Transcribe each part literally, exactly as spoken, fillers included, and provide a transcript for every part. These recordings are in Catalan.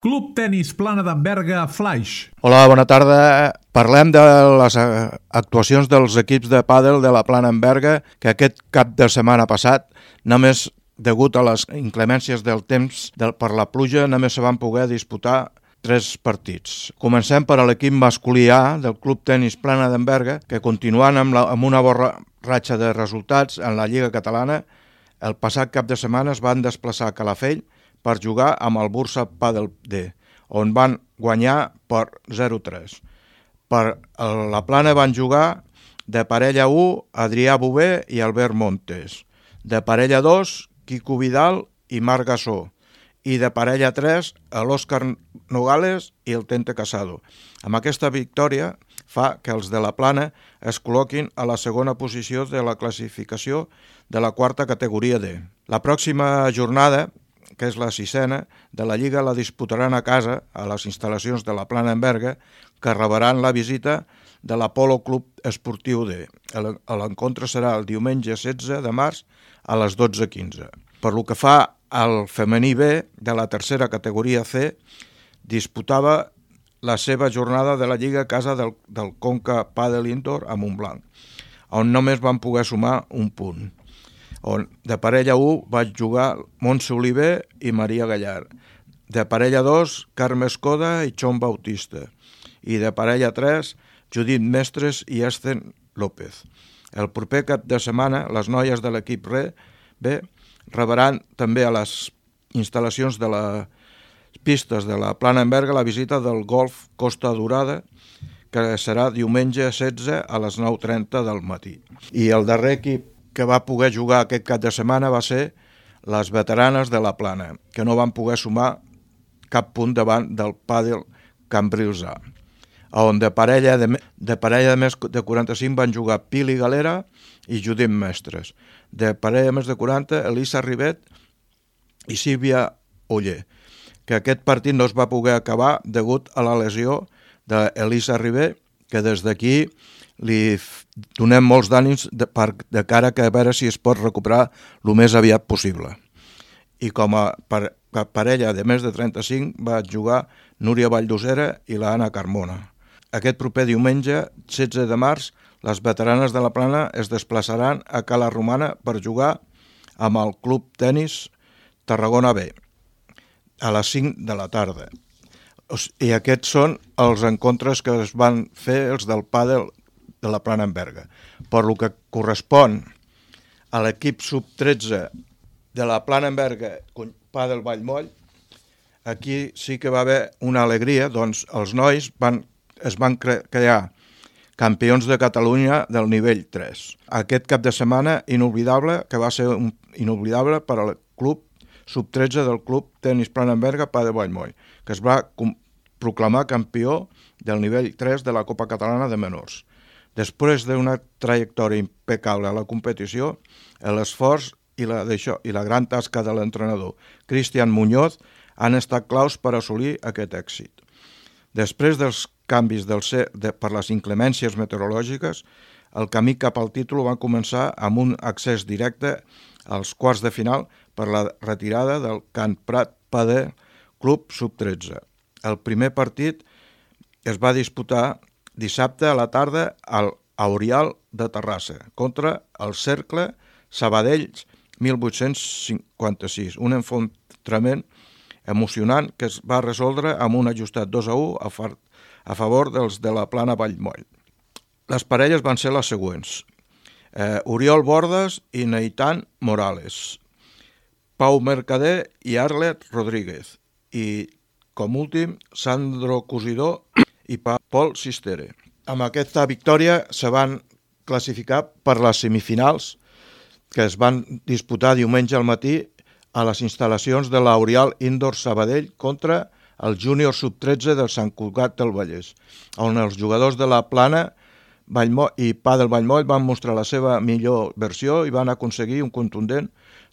Club Tenis Plana d'Amberga Flaix. Hola, bona tarda. Parlem de les actuacions dels equips de pàdel de la Plana d'Amberga, que aquest cap de setmana passat, només degut a les inclemències del temps per la pluja, només se van poder disputar tres partits. Comencem per a l'equip masculí A del Club Tenis Plana d'Amberga, que continuant amb, la, amb una bona ratxa de resultats en la Lliga Catalana, el passat cap de setmana es van desplaçar a Calafell per jugar amb el Bursa Padel D, on van guanyar per zero a tres. Per la Plana van jugar de parella u Adrià Bové i Albert Montes, de parella dos Quico Vidal i Marc Gassó, i de parella tres l'Òscar Nogales i el Tente Casado. Amb aquesta victòria fa que els de la Plana es col·loquin a la segona posició de la classificació de la quarta categoria D. La pròxima jornada, que és la sisena, de la Lliga la disputaran a casa, a les instal·lacions de la Plana d'Amberga, que rebran la visita de l'Apolo Club Esportiu D. L'encontre serà el diumenge setze de març a les dotze quinze. Per lo que fa al femení B de la tercera categoria C, disputava la seva jornada de la Lliga a casa del, del Conca Padel Indoor a Montblanc, on només van poder sumar un punt. On de parella u vaig jugar Montse Oliver i Maria Gallard, de parella dos Carme Escoda i Xon Bautista, i de parella tres Judit Mestres i Esten López. El proper cap de setmana les noies de l'equip B rebran també a les instal·lacions de les pistes de la Plana d'Amberga la visita del Golf Costa Dorada, que serà diumenge setze a les nou trenta del matí. I el darrer equip que va poder jugar aquest cap de setmana va ser les veteranes de la Plana, que no van poder sumar cap punt davant del Pàdel Cambrils A, on de parella de, de parella de més de quaranta-cinc van jugar Pili Galera i Judit Mestres, de parella de més de quaranta Elisa Rivet i Sílvia Oller, que aquest partit no es va poder acabar degut a la lesió d'Elisa Rivet, que des d'aquí li donem molts d'ànims de, per, de cara que a veure si es pot recuperar el més aviat possible. I com a per, parella de més de trenta-cinc va jugar Núria Valldosera i l'Anna Carmona. Aquest proper diumenge, setze de març, les veteranes de la Plana es desplaçaran a Cala Romana per jugar amb el Club Tenis Tarragona B a les cinc de la tarda. I aquests són els encontres que es van fer els del pàdel de la Plana d'Amberga. Per lo que correspon a l'equip sub tretze de la Plana d'Amberga Pàdel Vallmoll, aquí sí que va haver una alegria, doncs els nois van, es van cre- crear campions de Catalunya del nivell tres. Aquest cap de setmana inoblidable, que va ser un, inoblidable per al club sub tretze del Club Tenis Plana d'Amberga Pàdel Vallmoll, que es va com- proclamar campió del nivell tres de la Copa Catalana de Menors. Després d'una trajectòria impecable a la competició, l'esforç i la, i la gran tasca de l'entrenador Cristian Muñoz han estat claus per assolir aquest èxit. Després dels canvis del C, de, per les inclemències meteorològiques, el camí cap al títol va començar amb un accés directe als quarts de final per la retirada del Can Prat Padel Club sub tretze. El primer partit es va disputar dissabte a la tarda al Aurial de Terrassa contra el Cercle Sabadell mil vuit-cents cinquanta-sis, un enfrontament emocionant que es va resoldre amb un ajustat dos a u a, far, a favor dels de la Plana Vallmoll. Les parelles van ser les següents: eh, Oriol Bordes i Neitan Morales, Pau Mercader i Arlet Rodríguez, i com últim Sandro Cosidó i Pol Sistere. Amb aquesta victòria se van classificar per les semifinals que es van disputar diumenge al matí a les instal·lacions de l'Aurial Indoor Sabadell contra el júnior sub tretze del Sant Cugat del Vallès, on els jugadors de la Plana Vallmoll i Pàdel Vallmoll van mostrar la seva millor versió i van aconseguir un contundent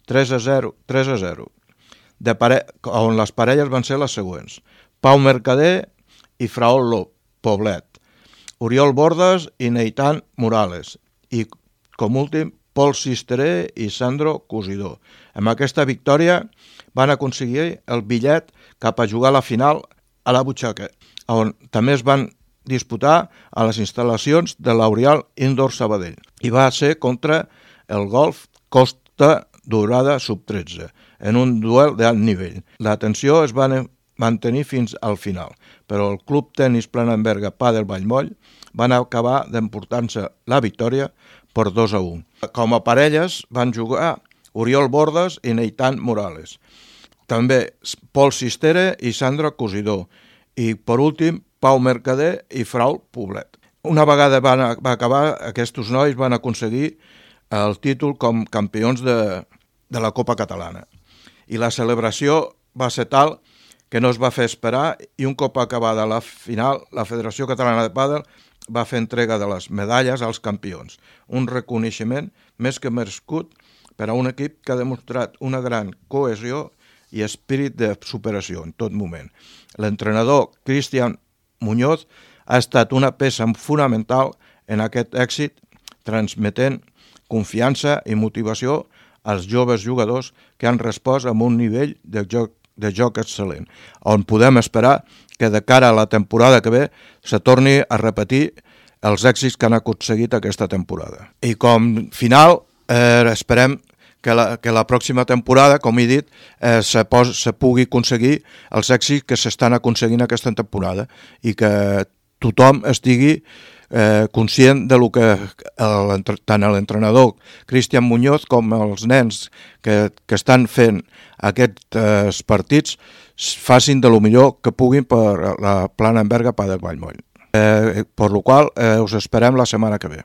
tres a zero, tres a zero, de pare... on les parelles van ser les següents: Pau Mercader i Fraol Poblet, Oriol Bordes i Neitan Morales, i com últim Pol Sisteré i Sandro Cosidó. Amb aquesta victòria van aconseguir el bitllet cap a jugar a la final a la Butxaca, on també es van disputar a les instal·lacions de l'Aurial Indoor Sabadell. I va ser contra el Golf Costa Dorada sub tretze, en un duel d'alt nivell. La tensió es va mantenir fins al final, però el Club Tenis Planenberga Padel Vallmoll van acabar d'emportar-se la victòria per dos a un. Com a parelles van jugar Oriol Bordes i Neitan Morales. També Pol Sistere i Sandra Cosidó. I, per últim, Pau Mercader i Frau Poblet. Una vegada van, va acabar, aquests nois van aconseguir el títol com campions de, de la Copa Catalana. I la celebració va ser tal que no es va fer esperar i un cop acabada la final, la Federació Catalana de Pàdel va fer entrega de les medalles als campions. Un reconeixement més que merescut per a un equip que ha demostrat una gran cohesió i espírit de superació en tot moment. L'entrenador Cristian Muñoz ha estat una peça fonamental en aquest èxit, transmetent confiança i motivació als joves jugadors que han respost amb un nivell de joc, de joc excel·lent, on podem esperar que de cara a la temporada que ve se torni a repetir els èxits que han aconseguit aquesta temporada. I com final eh, esperem que la, que la pròxima temporada, com he dit, eh, se, pos, se pugui aconseguir els èxits que s'estan aconseguint aquesta temporada i que tothom estigui eh, conscient de lo que el, tant l'entrenador Cristian Muñoz com els nens que, que estan fent aquests eh, partits facin de lo millor que puguin per la Planenberga Padel Vallmoll. Eh, per lo qual eh, us esperem la setmana que ve.